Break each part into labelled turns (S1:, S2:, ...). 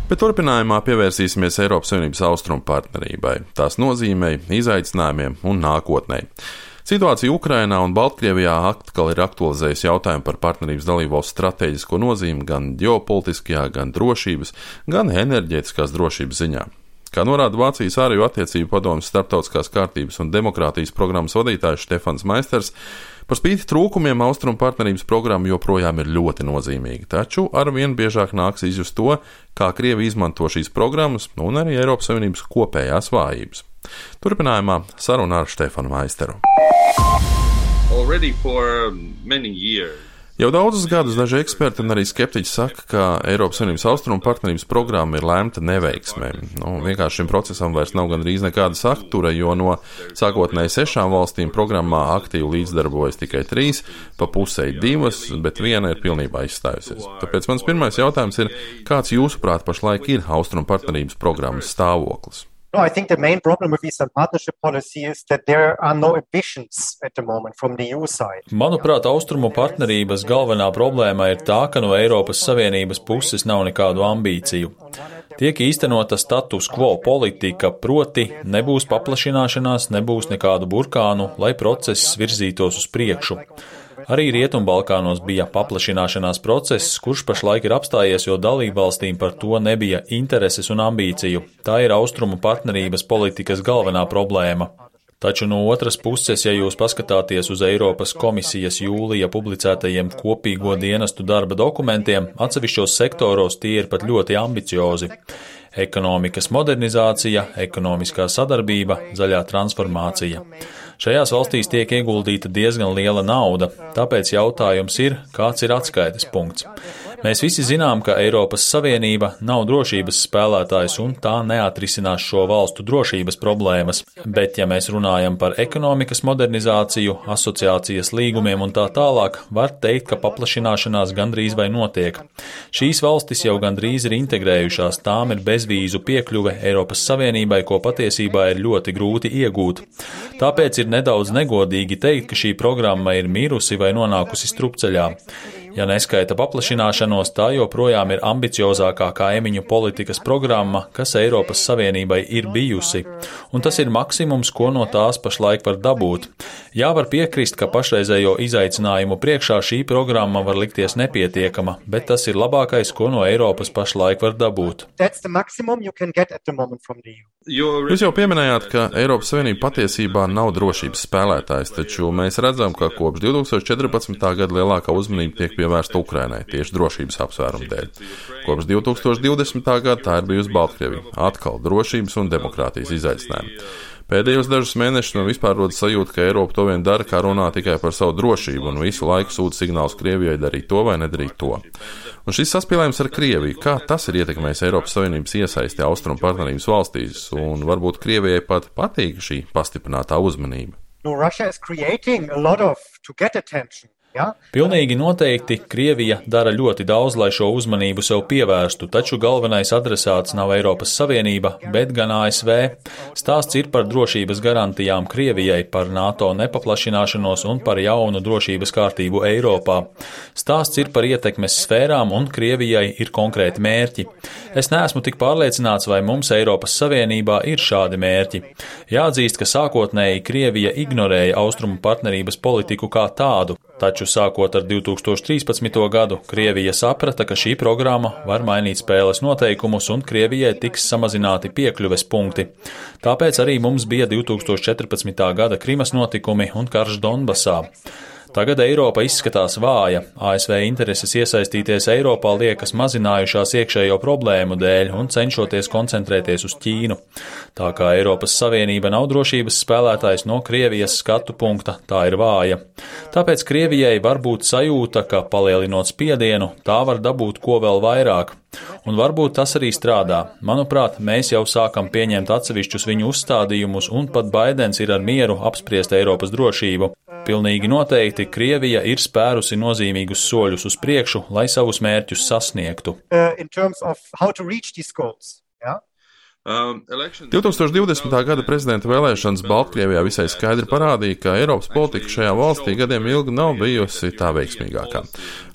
S1: Bet turpinājumā pievērsīsimies Eiropas Savienības austrumu partnerībai, tās nozīmei, izaicinājumiem un nākotnei. Situācija Ukrainā un Baltkrievijā atkal ir aktualizējusi jautājumu par partnerības dalībvalstu stratēģisko nozīmi gan ģeopolitiskajā, gan drošības, gan enerģētiskās drošības ziņā. Kā norāda Vācijas ārējo attiecību padomes starptautiskās kārtības un demokrātijas programmas vadītājs Štefans Maisters, par spīti trūkumiem austrumu partnerības programma joprojām ir ļoti nozīmīga, taču arvien biežāk nāks izjust to, kā Krievija izmanto šīs programmas un arī Eiropas Savienības kopējās vājības. Turpinājumā saruna ar Štefanu Maisteru. Jau daudzus gadus daži eksperti un arī skeptiķi saka, ka Eiropas Savienības austrumu partnerības programma ir lemta neveiksmē. Vienkārši šim procesam vairs nav gandrīz nekāda satura, jo no sākotnēji 6 valstīm programmā aktīvi līdzdarbojas tikai 3, pa pusei 2, bet viena ir pilnībā izstājusies. Tāpēc mans pirmais jautājums ir, kāds jūsuprāt pašlaik ir austrumu partnerības programmas stāvoklis?
S2: No, I think the main problem with Eastern Partnership policy is that there are no ambitions at the moment from the EU side.
S3: Manuprāt, austrumu partnerības galvenā problēma ir tā, ka no Eiropas Savienības puses nav nekādu ambīciju. Tiek īstenota status quo politika, proti nebūs paplašināšanās, nebūs nekādu burkānu, lai process virzītos uz priekšu. Arī Rietumbalkānos bija paplašināšanās process, kurš pašlaik ir apstājies, jo dalībvalstīm par to nebija intereses un ambīciju. Tā ir austrumu partnerības politikas galvenā problēma. Taču no otras puses, ja jūs paskatāties uz Eiropas komisijas jūlija publicētajiem kopīgo dienestu darba dokumentiem, atsevišķos sektoros tie ir pat ļoti ambiciozi. Ekonomikas modernizācija, ekonomiskā sadarbība, zaļā transformācija. Šajās valstīs tiek ieguldīta diezgan liela nauda, tāpēc jautājums ir, kāds ir atskaites punkts. Mēs visi zinām, ka Eiropas Savienība nav drošības spēlētājs un tā neatrisinās šo valstu drošības problēmas, bet ja mēs runājam par ekonomikas modernizāciju, asociācijas līgumiem un tā tālāk, var teikt, ka paplašināšanās gandrīz vai notiek. Šīs valstis jau gandrīz ir integrējušās, tām ir bezvīzu piekļuve Eiropas Savienībai, ko patiesībā ir ļoti grūti iegūt. Tāpēc ir nedaudz negodīgi teikt, ka šī programma ir mirusi vai nonākusi strupceļā. Ja neskaita paplašināšanos, tā joprojām ir ambiciozākā kaimiņu politikas programma, kas Eiropas Savienībai ir bijusi, un tas ir maksimums, ko no tās pašlaik var dabūt. Jā, var piekrist, ka pašreizējo izaicinājumu priekšā šī programma var likties nepietiekama, bet tas ir labākais, ko no Eiropas pašlaik var dabūt.
S1: Jūs jau pieminējāt, ka Eiropas Savienība patiesībā nav drošības spēlētājs, taču mēs redzam, ka kopš 2014. gada lielākā uzmanība tiek pievērsta Ukrainai tieši drošības apsvērumu dēļ. Kopš 2020. gada tā ir bijusi Baltkrievija, atkal drošības un demokrātijas izaicinājumi. Pēdējos dažus mēnešus man vispār rodas sajūta, ka Eiropa to vien dara, kā runā tikai par savu drošību un visu laiku sūta signālus Krievijai darīt to vai nedarīt to. Un šis saspīlējums ar Krieviju, kā tas ir ietekmējis Eiropas Savienības iesaisti austrumu partnerības valstīs, un varbūt Krievijai pat patīk šī pastiprinātā uzmanība?
S2: No, Russia is creating a lot of to get attention.
S3: Pilnīgi noteikti Krievija dara ļoti daudz, lai šo uzmanību sev pievērstu, taču galvenais adresāts nav Eiropas Savienība, bet gan ASV. Stāsts ir par drošības garantijām Krievijai, par NATO nepaplašināšanos un par jaunu drošības kārtību Eiropā. Stāsts ir par ietekmes sfērām un Krievijai ir konkrēti mērķi. Es neesmu tik pārliecināts, vai mums Eiropas Savienībā ir šādi mērķi. Jāatzīst, ka sākotnēji Krievija ignorēja austrumu partnerības politiku kā tādu. Taču sākot ar 2013. gadu, Krievija saprata, ka šī programma var mainīt spēles noteikumus un Krievijai tiks samazināti piekļuves punkti. Tāpēc arī mums bija 2014. gada Krimas notikumi un karš Donbasā. Tagad Eiropa izskatās vāja, ASV intereses iesaistīties Eiropā liekas mazinājušās iekšējo problēmu dēļ un cenšoties koncentrēties uz Ķīnu. Tā kā Eiropas Savienība nav drošības spēlētājs no Krievijas skatu punkta, tā ir vāja. Tāpēc Krievijai var būt sajūta, ka palielinot spiedienu, tā var dabūt ko vēl vairāk. Un varbūt tas arī strādā. Manuprāt, mēs jau sākam pieņemt atsevišķus viņu uzstādījumus, un pat Baidens ir ar mieru apspriest Eiropas drošību. Pilnīgi noteikti Krievija ir spērusi nozīmīgus soļus uz priekšu, lai savus mērķus sasniegtu.
S1: 2020. gada prezidenta vēlēšanas Baltkrievijā visai skaidri parādīja, ka Eiropas politika šajā valstī gadiem ilgi nav bijusi tā veiksmīgākā.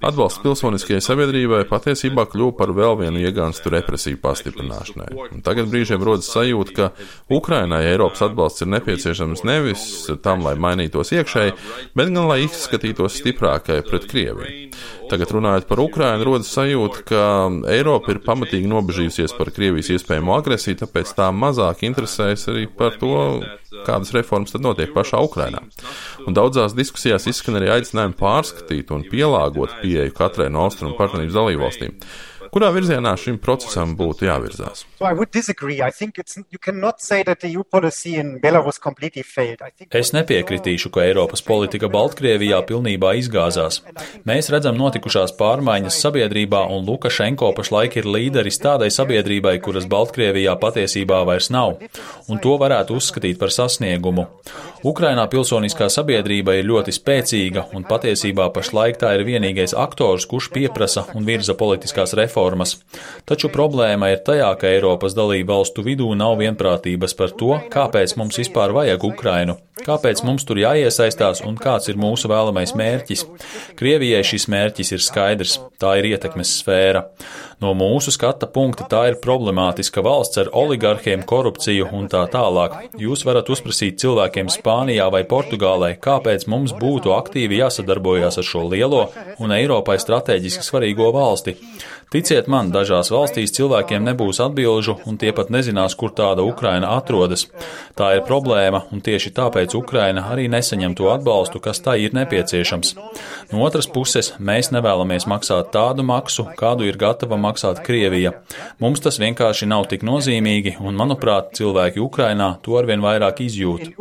S1: Atbalsts pilsoniskajai sabiedrībai patiesībā kļuva par vēl vienu iegānstu represiju pastiprināšanai. Un tagad brīžiem rodas sajūta, ka Ukrainai Eiropas atbalsts ir nepieciešams nevis tam, lai mainītos iekšēji, bet gan lai izskatītos stiprākai pret Krieviju. Tagad runājot par Ukrainu, rodas sajūta, ka Eiropa ir pamatīgi nobežījusies par Krievijas iespējamo agresiju, tāpēc tā mazāk interesējas arī par to, kādas reformas tad notiek pašā Ukrainā. Un daudzās diskusijās izskan arī aicinājumi pārskatīt un pielāgot pieeju katrai no austrumu partnerības dalībvalstīm. Kurā virzienā šim procesam būtu jāvirzās?
S3: Es nepiekritīšu, ka Eiropas politika Baltkrievijā pilnībā izgāzās. Mēs redzam notikušās pārmaiņas sabiedrībā, un Lukašenko pašlaik ir līderis tādai sabiedrībai, kuras Baltkrievijā patiesībā vairs nav, un to varētu uzskatīt par sasniegumu. Ukrainā pilsoniskā sabiedrība ir ļoti spēcīga, un patiesībā pašlaik tā ir vienīgais aktors, kurš pieprasa un virza politiskās reformas. Taču problēma ir tajā, ka Eiropas dalību valstu vidū nav vienprātības par to, kāpēc mums vispār vajag Ukrainu, kāpēc mums tur jāiesaistās un kāds ir mūsu vēlamais mērķis. Krievijai šis mērķis ir skaidrs, tā ir ietekmes sfēra. No mūsu skata punkta tā ir problemātiska valsts ar oligarhiem, korupciju un tā tālāk. Jūs varat uzprasīt cilvēkiem Spānijā vai Portugālē, kāpēc mums būtu aktīvi jāsadarbojas ar šo lielo un Eiropai strateģiski svarīgo valsti. Ticiet man, dažās valstīs cilvēkiem nebūs atbilžu, un tie pat nezinās, kur tāda Ukraina atrodas. Tā ir problēma, un tieši tāpēc Ukraina arī nesaņem to atbalstu, kas tai ir nepieciešams. No otras puses, mēs nevēlamies maksāt tādu maksu, kādu ir gatava maksāt Krievija. Mums tas vienkārši nav tik nozīmīgi, un, manuprāt, cilvēki Ukrainā to arvien vairāk izjūt.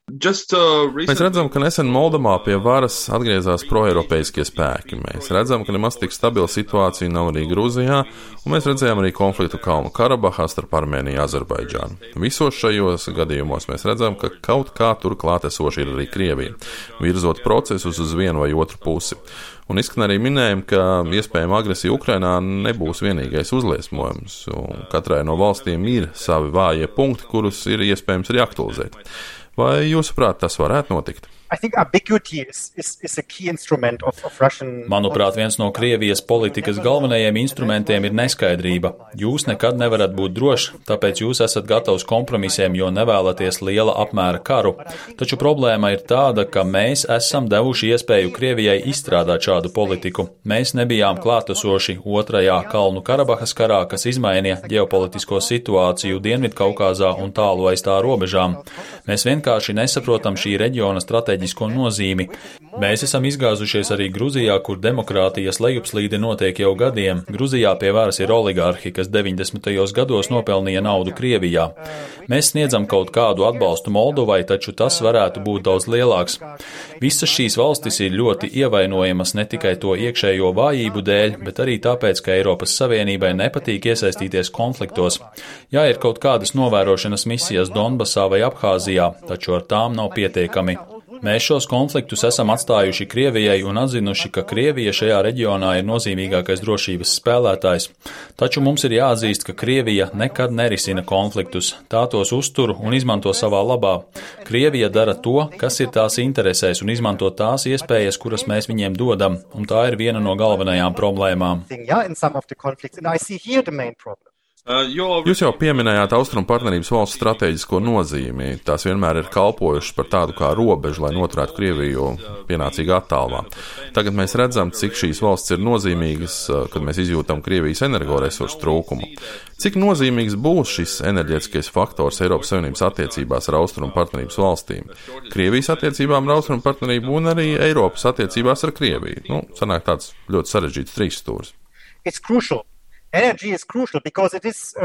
S1: Mēs redzam, ka nesen Moldovā pie varas atgriezās proeiropeiskie spēki. Mēs redzam, ka nemaz tik stabila situācija nav arī Grūzijā, un mēs redzējām arī konfliktu Kalnu Karabahā starp Armēniju un Azerbaidžānu. Visos šajos gadījumos mēs redzam, ka kaut kā tur klātesoši ir arī Krievija, virzot procesus uz vienu vai otru pusi. Un izskan arī minējumi, ka iespējama agresija Ukrainā nebūs vienīgais uzliesmojums, un katrai no valstīm ir savi vājie punkti, kurus ir iespējams arī aktualizēt. Vai jūsuprāt, tas varētu notikt?
S3: Manuprāt, viens no Krievijas politikas galvenajiem instrumentiem ir neskaidrība. Jūs nekad nevarat būt droši, tāpēc jūs esat gatavs kompromisiem, jo nevēlaties liela apmēra karu. Taču problēma ir tāda, ka mēs esam devuši iespēju Krievijai izstrādāt šādu politiku. Mēs nebijām klātesoši otrajā Kalnu Karabahas karā, kas izmainīja ģeopolitisko situāciju Dienvidkaukāzā un tālu aiz tā robežām. Mēs vienkārši nesaprotam šī reģiona strateģisko nozīmi. Mēs esam izgāzušies arī Gruzijā, kur demokrātijas lejupslīde notiek jau gadiem. Gruzijā pie varas ir oligarhi, kas 90. gados nopelnīja naudu Krievijā. Mēs sniedzam kaut kādu atbalstu Moldovai, taču tas varētu būt daudz lielāks. Visas šīs valstis ir ļoti ievainojamas ne tikai to iekšējo vājību dēļ, bet arī tāpēc, ka Eiropas Savienībai nepatīk iesaistīties konfliktos. Jā, ir kaut kādas novērošanas misijas Donbasā vai Abhāzijā, taču ar tām nav pietiekami. Mēs šos konfliktus esam atstājuši Krievijai un atzinuši, ka Krievija šajā reģionā ir nozīmīgākais drošības spēlētājs. Taču mums ir jāatzīst, ka Krievija nekad nerisina konfliktus, tā tos uztur un izmanto savā labā. Krievija dara to, kas ir tās interesēs, un izmanto tās iespējas, kuras mēs viņiem dodam, un tā ir viena no galvenajām problēmām.
S1: Jūs jau pieminējāt austrumu partnerības valstu strateģisko nozīmi. Tās vienmēr ir kalpojušas par tādu kā robežu, lai noturētu Krieviju pienācīgā attālumā. Tagad mēs redzam, cik šīs valsts ir nozīmīgas, kad mēs izjūtam Krievijas energoresursu trūkumu. Cik nozīmīgs būs šis enerģētiskais faktors Eiropas Savienības attiecībās ar austrumu partnerības valstīm? Krievijas attiecībām ar austrumu partnerību un arī Eiropas attiecībās ar Krieviju. Sanāk tāds ļoti sarežģīts trīsstūris.
S2: Energy is crucial because it is,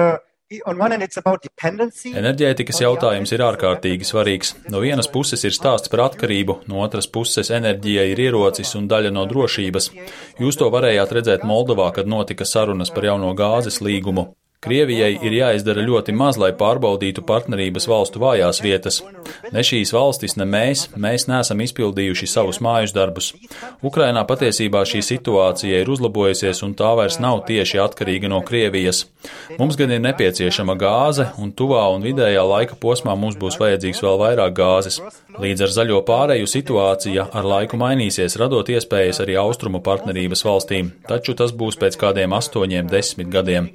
S2: on one hand, it's about dependency.
S3: Enerģētikas jautājums ir ārkārtīgi svarīgs. No vienas puses ir stāsts par atkarību, no otras puses enerģija ir ierocis un daļa no drošības. Jūs to varējāt redzēt Moldovā, kad notika sarunas par jauno gāzes līgumu. Krievijai ir jāizdara ļoti maz, lai pārbaudītu partnerības valstu vājās vietas. Ne šīs valstis, ne mēs neesam izpildījuši savus mājas darbus. Ukrainā patiesībā šī situācija ir uzlabojusies un tā vairs nav tieši atkarīga no Krievijas. Mums gan ir nepieciešama gāze, un tuvā un vidējā laika posmā mums būs vajadzīgs vēl vairāk gāzes. Līdz ar zaļo pāreju situācija ar laiku mainīsies, radot iespējas arī austrumu partnerības valstīm, taču tas būs pēc kādiem 8-10 gadiem.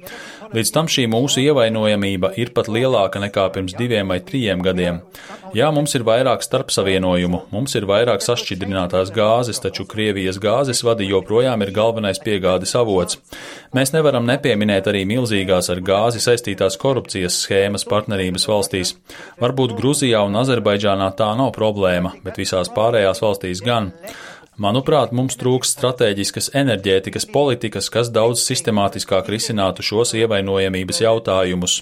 S3: Līdz tam šī mūsu ievainojamība ir pat lielāka nekā pirms 2 vai 3 gadiem. Jā, mums ir vairāk starpsavienojumu, mums ir vairāk sašķidrinātās gāzes, taču Krievijas gāzes vadi joprojām ir galvenais piegādes avots. Mēs nevaram nepieminēt arī milzīgās ar gāzi saistītās korupcijas schēmas partnerības valstīs. Varbūt Gruzijā un Azerbaidžānā tā nav problēma, bet visās pārējās valstīs gan. Manuprāt, mums trūkst stratēģiskas enerģētikas politikas, kas daudz sistemātiskāk risinātu šos ievainojamības jautājumus.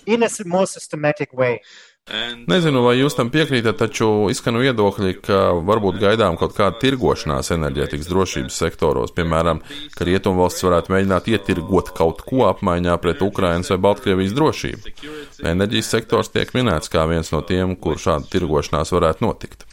S1: Nezinu, vai jūs tam piekrītat, taču izskan viedokļi, ka varbūt gaidām kaut kāda tirgošanās enerģētikas drošības sektoros, piemēram, ka Rietumvalstis varētu mēģināt ietirgot kaut ko apmaiņā pret Ukrainas vai Baltkrievijas drošību. Enerģijas sektors tiek minēts kā viens no tiem, kur šāda tirgošanās varētu notikt.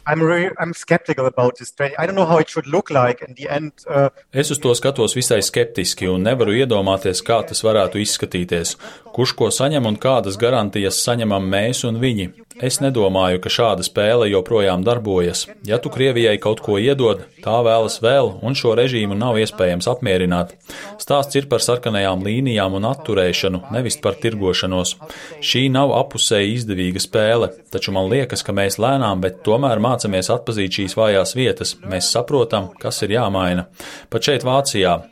S3: Es uz to skatos visai skeptiski un nevaru iedomāties, kā tas varētu izskatīties. Kurš ko saņem un kādas garantijas saņemam mēs un viņi. Es nedomāju, ka šāda spēle joprojām darbojas. Ja tu Krievijai kaut ko iedod, tā vēlas vēl, un šo režīmu nav iespējams apmierināt. Stāsts ir par sarkanajām līnijām un atturēšanu, nevis par tirgošanos. Šī nav apusēji izdevīga spēle, taču man liekas, ka mēs lēnām, bet tomēr mācamies atpazīt šīs vājās vietas. Mēs saprotam, kas ir jāmaina. Pat šeit Vācijā.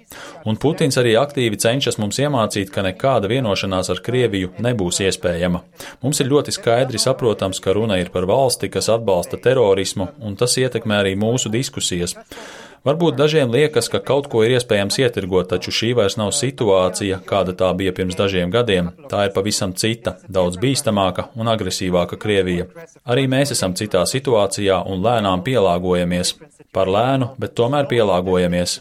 S3: Un Putins arī aktīvi cenšas mums iemācīt, ka nekāda vienošanās ar Krieviju nebūs iespējama. Mums ir ļoti skaidri saprotams, ka runa ir par valsti, kas atbalsta terorismu, un tas ietekmē arī mūsu diskusijas. Varbūt dažiem liekas, ka kaut ko ir iespējams ietirgot, taču šī vairs nav situācija, kāda tā bija pirms dažiem gadiem. Tā ir pavisam cita, daudz bīstamāka un agresīvāka Krievija. Arī mēs esam citā situācijā un lēnām pielāgojamies. Par lēnu, bet tomēr pielāgojamies.